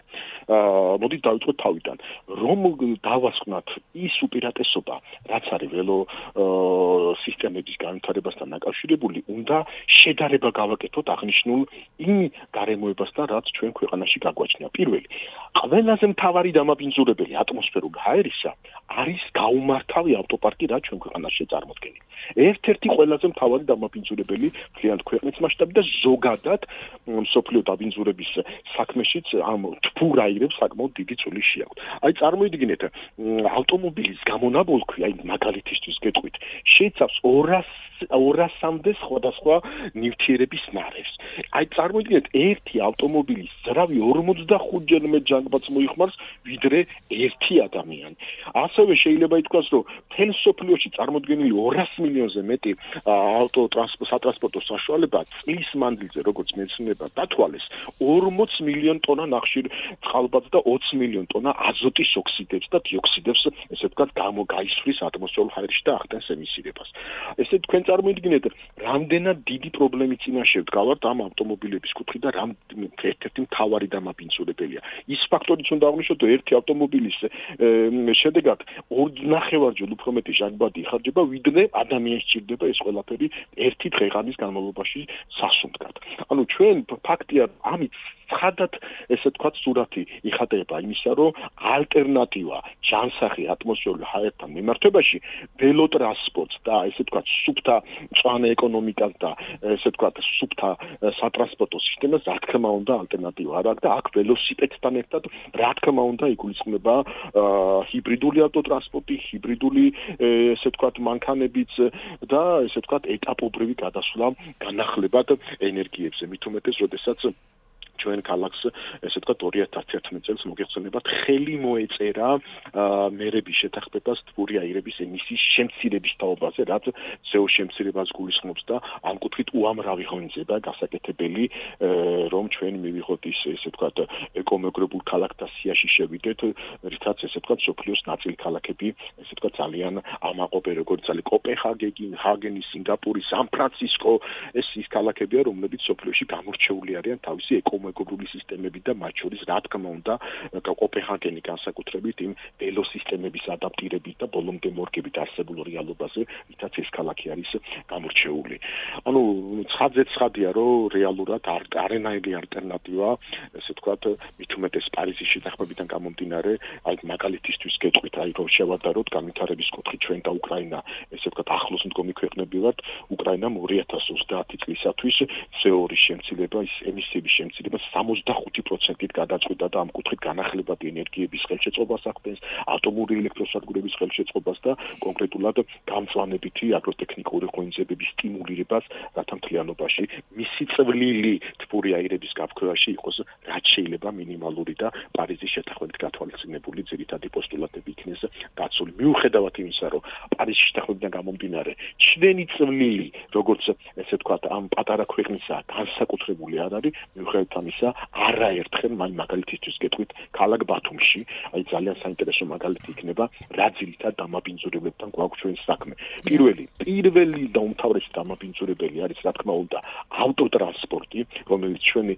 მოდით დავიწყოთ თავიდან, რომ დავასკვნათ ის უპირატესობა, რაც არის ველო სისტემების განვითარებასთან დაკავშირებული, უნდა შედარება გავაკეთოთ აღნიშნულ იმ გარემოებასთან, რაც ჩვენ ქვეყანაში გაგვაჩნია. პირველი, ყველაზე მთავარი დამაბინძურებელი ატმოსფერული ჰაერისა არის გაუმართავი ავტოპარკი, რაც ჩვენ ქვეყანაში წარმოქმნილი. ერთ-ერთი ყველაზე მთავარი დამაბინძურებელი მთლიანად ქვეყნის მასშტაბით და ზოგადად მსოფლიო დაბინძურების საქმეშიც ამ თბურ აირებს საკმაოდ დიდი წვლილი შეაქვს. აი წარმოიდგინეთ, ავტომობილის გამონაბოლქვი, აი მაგალითისთვის გეტყვით, შეიცავს 200-მდე სხვადასხვა ნივთიერების ნარევს. აი წარმოიდგინეთ, ერთი ავტომობილის ზრავი 45-ჯერ მეტ ჯანგბადს მოიხმარს, ვიდრე ერთი ადამიანი. ასევე შეიძლება ითქვას, რომ მთელ მსოფლიოში წარმოდგენილი 200 მილიონზე მეტი სატრანსპორტო საშუალება წლის მანძილზე, როგორც მეცნიერება დათვალეს, 40 მილიონ ტონა ნახშირ წყალბადს და 20 მილიონ ტონა აზოტის ოქსიდებს და დიოქსიდებს, ესე ვთქვათ, გაისვრის ატმოსფერულ ჰაერში და ახდენს ემისირებას. ესე თქვენ წარმოიდგინეთ, რამდენად დიდი პრობლემის წინაშე ვდგავართ ამ ავტომობილების კუთხით და ერთ-ერთი მთავარი დამაბინძურებელია. ის ფაქტორიც უნდა აღნიშნოთ, რომ ერთი ავტომობილის შედეგად 2.5-ჯერ უფრო მეტი ჟანგბადი იხარჯება, ვიდრე ადამიანს სჭირდება ეს ყველაფერი ერთი დღეღამის განმავლობაში სასუნთქად. ანუ ჩვენ ფაქტია ამით ცხადად ესე ვთქვათ სურათი იხატება იმისა, რომ ალტერნატივა ჯანსაღი ატმოსფერული ჰაერთან მიმართებაში ველოტრანსპორტს და ესე ვთქვათ სუფთა მწვანე ეკონომიკას და ესე ვთქვათ სუფთა სატრანსპორტო სისტემას რა თქმა უნდა ალტერნატივა არ აქვს და აქ ველოსიპედთან ერთად რა თქმა უნდა იგულისხმება ჰიბრიდული ავტოტრანსპორტი, ჰიბრიდული ესე ვთქვათ მანქანებიც და ესე ვთქვათ ეტაპობრივი გადასვლა განახლებად ენერგიებზე, მით უმეტეს, როდესაც ჩვენ ქალაქს ესე ვთქვათ 2011 წელს მოგეხსენებათ ხელი მოეწერა მერების შეთანხმებას თბური აირების ემისიის შემცირების თაობაზე, რაც CO შემცირებას გულისხმობს და ამ კუთხით უამრავი ღონისება გასაკეთებელი, რომ ჩვენ მივიღოთ ის ესე ვთქვათ ეკომეგრებულ ქალაქთა სიაში შევიდეთ, რითაც ესე ვთქვათ სოფლიოს ნაწილი ქალაქები ესე ვთქვათ ძალიან ამაყობენ, როგორც არის კოპენჰაგენი, ჰაგენი, სინგაპური, სან-ფრანცისკო, ეს ის ქალაქებია, რომლებიც სოფლიოში გამორჩეული არიან თავისი ეკომეგრული სისტემები და მათ შორის რა თქმა უნდა კოპენჰაგენი განსაკუთრებით იმ ველოსისტემების ადაპტირებით და ბოლომდე მორგებით არსებულ რეალობაზე, რითაც ეს ქალაქი არის გამორჩეული. ანუ ცხადია, რომ რეალურად არენაირი ალტერნატივა, ესე ვთქვათ, მით უმეტეს პარიზის შეთანხმებიდან გამომდინარე, აი მაგალითისთვის გეტყვით, აი რომ შევადაროთ განვითარების კუთხით ჩვენ და უკრაინა, ესე ვთქვათ, ახლოს მდგომი ქვეყნები ვართ, უკრაინამ 2030 წლისათვის CO2 შემცირება, ის ემისიების შემცირება 65%-ით გადაწყვიტა და ამ კუთხით განახლებადი ენერგიების ხელშეწყობას ახდენს, ატომური ელექტროსადგურების ხელშეწყობას და კონკრეტულად გამწვანებითი აგროტექნიკური ღონისძიებების სტიმულირებას, რათა მთლიანობაში მისი წვლილი თბური აირების გაფრქვევაში იყოს რაც შეიძლება მინიმალური და პარიზის შეთანხმებით გათვალისწინებული ძირითადი პოსტულატები იქნეს გაცვლილი. მიუხედავად იმისა, რომ პარიზის შეთანხმებიდან გამომდინარე ჩვენი წვლილი, როგორც ესე ვთქვათ, ამ პატარა ქვეყნისა განსაკუთრებული არ არის, მიუხედავად ამისა, არაერთხელ მაგალითისთვის გეტყვით, ქალაქ ბათუმში, აი ძალიან საინტერესო მაგალითი იქნება, რა ძირითად დამაბინძურებლებთან გვაქვს ჩვენ საქმე. პირველი და უმთავრესი დამაბინძურებელი არის, რა თქმა უნდა, ავტოტრანსპორტი, რომელიც ჩვენი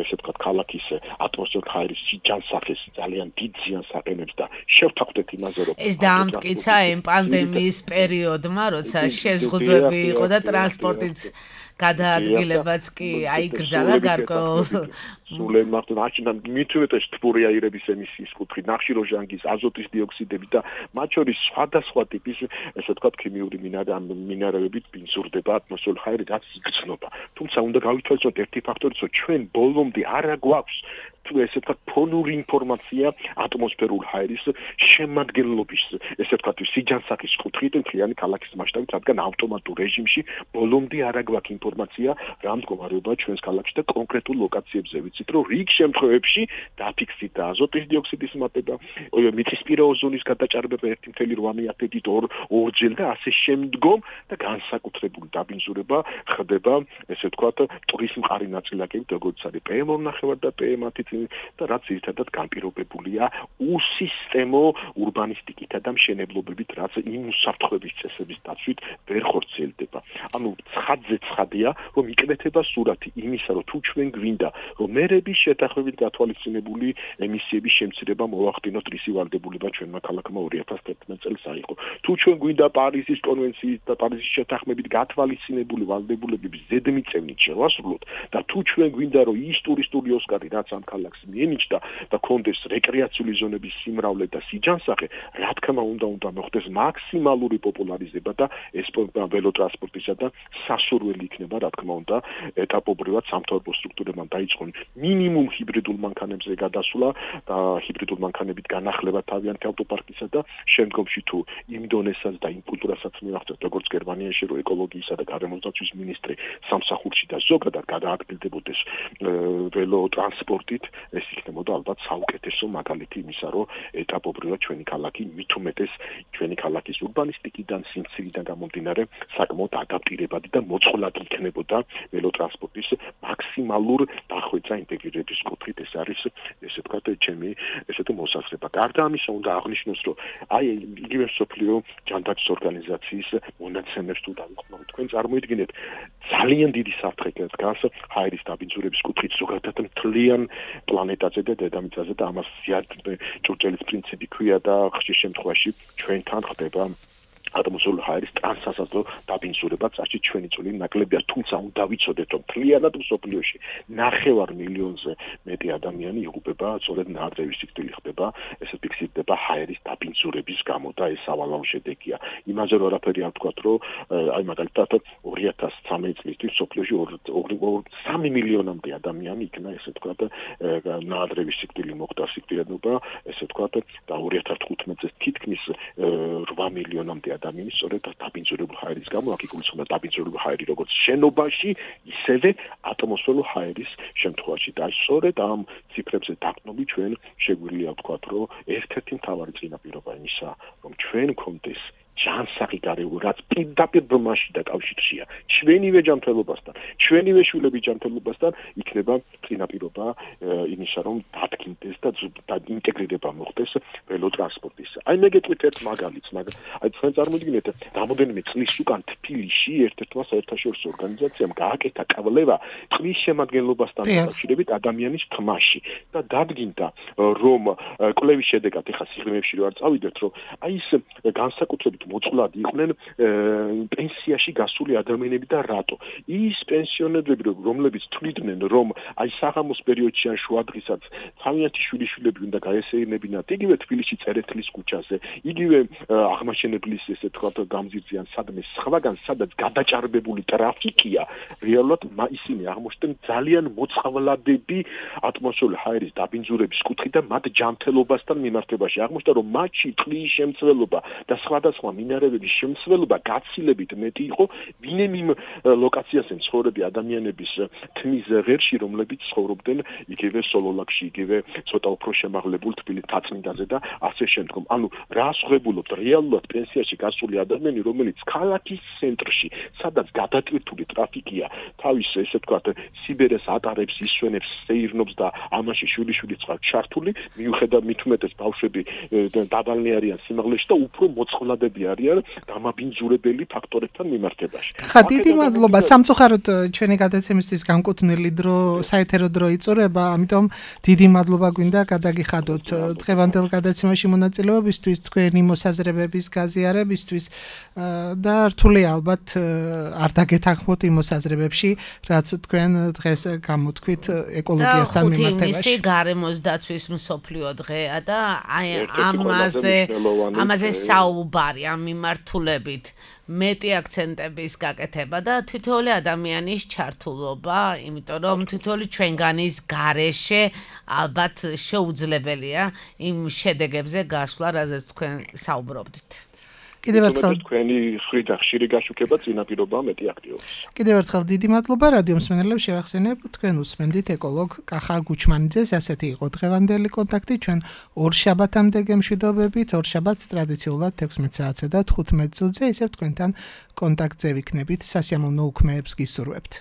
ესე ვთქვათ, ქალაქის ატმოსფერულ ჰაერის ჯანსაღეს ძალიან დიდ ზიანს აყენებს და შევთანხმდეთ იმაზე, რომ ეს დაამტკიცა იმ პანდემიის პერიოდმა, როცა შეზღუდვები იყო და ტრანსპორტიც გადაადგილებაც კი აიგრძალა გარკვეულ სულენ მართლა მით უმეტეს თბური აირების ემისიის კუთხით, ნახშირორჟანგის, აზოტის დიოქსიდები და მათ შორის სხვადასხვა ტიპის ესე ვთქვათ ქიმიური მინარევებით ბინძურდება ატმოსფერულ ჰაერი, რაც იგრძნობა. თუმცა უნდა გავითვალისწინოთ ერთი ფაქტორიც, რომ ჩვენ ბოლომდე არა გვაქვს ესე ვთქვათ ფონური ინფორმაცია ატმოსფერულ ჰაერის შემადგენლობის ესე ვთქვათ სიჯანსაღის კუთხით მთლიანი ქალაქის მასშტაბით, რადგან ავტომატურ რეჟიმში ბოლომდე არ აგვაქვს ინფორმაცია რა მდგომარეობაა ჩვენს ქალაქში და კონკრეტულ ლოკაციებზე ვიცით რომ რიგ შემთხვევებში დაფიქსირდა აზოტის დიოქსიდის მატება, მიწისპირა ოზონის გადაჭარბება 1.8-ით ორჯერ და ასე შემდგომ და განსაკუთრებული დაბინძურება ხდება ესე ვთქვათ ტურის მყარი ნაწილაკებით როგორც არის PM2 და PM10 და რაც ერთადად განპირობებულია უსისტემო ურბანისტიკითა და მშენებლობებით რაც იმ უსაფრთხოების წესების დაცვით ვერ ხორციელდება. ანუ ცხადზე ცხადია რომ იკვეთება სურათი იმისა რომ თუ ჩვენ გვინდა რომ მერების შეთანხმებით გათვალისწინებული ემისიების შემცირება მოვახდინოთ რისი ვალდებულება ჩვენმა ქალაქმა 2011 წელს აიღო. თუ ჩვენ გვინდა პარიზის კონვენციის და პარიზის შეთანხმებით გათვალისწინებული ვალდებულებების ზედმიწევნით შევასრულოთ და თუ ჩვენ გვინდა რომ ის ტურისტული ოსკარი რაც ამ ქალაქს მიენიჭდა და კონდეს რეკრეაციული ზონების სიმრავლე და სიჯანსაღე, რა თქმა უნდა მოხდეს მაქსიმალური პოპულარიზება და ეს ველოტრანსპორტისა და სასურველი იქნება, რა თქმა უნდა, ეტაპობრივად სამთავრობო სტრუქტურებმა დაიწყონ მინიმუმ ჰიბრიდულ მანქანებზე გადასვლა და ჰიბრიდულ მანქანებით განახლება თავიანთი ავტოპარკისა და შემდგომში თუ იმ დონესაც და იმ კულტურასაც მიაღწევთ, როგორც გერმანიაში რო ეკოლოგიისა და გარემოსდაცვის მინისტრი სამსახურში და ზოგადად გადაადგილდებოდეს ველოტრანსპორტით, ეს იქნებოდა ალბათ საუკეთესო მაგალითი იმისა, რომ ეტაპობრივად ჩვენი ქალაქი მით უმეტეს ჩვენი ქალაქის ურბანისტიკიდან, სიმცირიდან გამომდინარე საკმაოდ ადაპტირებადი და მოწყვლადი იქნებოდა ველოტრანსპორტის მაქსიმალურ დახვეწა ინტეგრირების კუთხით. ეს არის ესე ვთქვათ ჩემი ესეთი მოსაზრება. გარდა ამისა უნდა აღნიშნოს, რომ აი იგივე მსოფლიო ჯანდაცვის ორგანიზაციის მონაცემებს თუ დავიწყოთ, თქვენ წარმოიდგინეთ ძალიან დიდი საფრთხე დგას ჰაერის დაბინძურების კუთხით ზოგადად მთლიან პლანეტაზე და დედამიწაზე და ამას ჭურჭელის პრინციპი ქვია და ხშირ შემთხვევაში ჩვენთან ხდება ატმოსფერული ჰაერის ტრანსასაზღვრო დაბინძურება, წარსი ჩვენი წვლილი ნაკლებია, თუმცა უნდა ვიცოდეთ, რომ მთლიანად მსოფლიოში 9 მილიონზე მეტი ადამიანი იღუპება, სწორედ ნაადრევის სიკვდილი ხდება, ესე ფიქსირდება ჰაერის დაბინძურების გამო და ეს სავალალო შედეგია. იმაზე რომ არაფერი არ ვთქვათ, რომ აი მაგალითად 2013 წლისთვის მსოფლიოში 3 მილიონამდე ადამიანი იქნა, ესე ვთქვათ, ნაადრევის სიკვდილი მოხდა სიკვდილიანობა, ესე ვთქვათ, და 2015 წელს თითქმის 8 მილიონამდე ადამიანის სწორედ დაბინძურებულ ჰაერის გამო, აქ იგულისხმება დაბინძურებული ჰაერი როგორც შენობაში, ისევე ატმოსფერულ ჰაერის შემთხვევაში. და სწორედ ამ ციფრებზე დაყრდნობით ჩვენ შეგვიძლია ვთქვათ, რომ ერთ-ერთი მთავარი წინაპირობა იმისა, რომ ჩვენ გქონდეს ჯანსაღი გარემო, რაც პირდაპირ ბმაში და კავშირშია ჩვენივე ჯანმრთელობასთან, ჩვენივე შვილების ჯანმრთელობასთან, იქნება წინაპირობა იმისა, რომ დადგინდეს და ინტეგრირება მოხდეს ველოტრანსპორტის. აი მე გეტყვით ერთ მაგალითს, აი თქვენ წარმოიდგინეთ, რამოდენიმე წლის უკან თბილისში ერთ-ერთმა საერთაშორისო ორგანიზაციამ გააკეთა კვლევა წყლის შემადგენლობასთან დაკავშირებით ადამიანის თმაში და დადგინდა, რომ კვლევის შედეგად ეხლა სიღრმეებში რო არ წავიდეთ, რომ აი ეს განსაკუთრებით მოწყვლადი იყვნენ პენსიაში გასული ადამიანები და რატო? ის პენსიონერები, რომლებიც თვლიდნენ, რომ აი საღამოს პერიოდში ან შუადღესაც თავიანთი შვილიშვილები უნდა გაესეირნებინათ იგივე თბილისში წერეთლის ქუჩაზე, იგივე აღმაშენებლის ესე თქვა გამზირზე ან სადმე სხვაგან სადაც გადაჭარბებული ტრაფიკია, რეალურად ისინი აღმოჩნდნენ ძალიან მოწყვლადები ატმოსფერული ჰაერის დაბინძურების კუთხით და მათ ჯანმრთელობასთან მიმართებაში. აღმოჩნდა, რომ მათში წყლის შემცველობა და სხვადასხვა მინარევების შემცველობა გაცილებით მეტი იყო, ვინმე იმ ლოკაციაზე მცხოვრები ადამიანების თმის ღერში, რომლებიც ცხოვრობდნენ იგივე სოლოლაკში, იგივე ცოტა უფრო შემაღლებულ თბილისის თაწმინდაზე და ასე შემდგომ. ანუ რას ხვებულობთ? რეალურად პენსიაში გასული ადამიანი, რომელიც ქალაქის ცენტრში, სადაც გადატვირთული ტრაფიკია, თავის ესე ვთქვათ, სიბერეს ატარებს, ისვენებს, სეირნობს და ამაში შვილიშვილი წყალ ჩართული, მიუხედავად მით უმეტეს ბავშვები დაბალნი არიან სიმაღლეში და უფრო მოწყვლადები არიან დამაბინძურებელი ფაქტორებთან მიმართებაში. ხა დიდი მადლობა სამწუხაროდ ჩვენი გადაცემისთვის განკუთვნილი დრო, საეთერო დრო იწურება, ამიტომ დიდი მადლობა გვინდა გადაგიხადოთ დღევანდელ გადაცემაში მონაწილეობისთვის, თქვენი მოსაზრებების გაზიარებისთვის და რთულია ალბათ არ დაგეთანხმოთ იმ მოსაზრებებში, რაც თქვენ დღეს გამოთქვით ეკოლოგიასთან მიმართებაში. ხუთი გარემოს დაცვის მსოფლიო დღეა და აი ამაზე საუბარი ამ მიმართულებით მეტი აქცენტების გაკეთება და თითოეული ადამიანის ჩართულობა, იმიტომ რომ თითოეული ჩვენგანის გარეშე ალბათ შეუძლებელია იმ შედეგებზე გასვლა, რაზეც თქვენ საუბრობდით. კიდევ ერთხელ თქვენი ხრიდან ხშირი გაშუქება წინაპირობაა მეტი აქტიობის. კიდევ ერთხელ დიდი მადლობა რადიო მსმენელებს შევახსენებ თქვენ უსმენდით ეკოლოგ კახა გუჩმანიძეს ასეთი იყო დღევანდელი კონტაქტი ჩვენ ორ შაბათამდე გემშვიდობებით ორ შაბათს ტრადიციულად 16 საათსა და 15 წუთზე ისევ თქვენთან კონტაქტზე ვიქნებით სასიამოვნო უქმეებს გისურვებთ.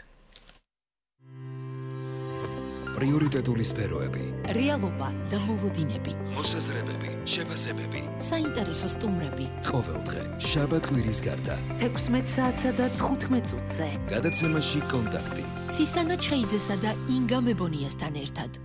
პრიორიტეტული სფეროები, რეალობა და მოლოდინები, მოსაზრებები, შეფასებები, საინტერესო სტუმრები. ყოველდღე, შაბათ-კვირის გარდა. 16 საათსა და 15 წუთზე. გადაცემაში კონტაქტი. ცისანა ჩხეიძესა და ინგა მებონიასთან ერთად.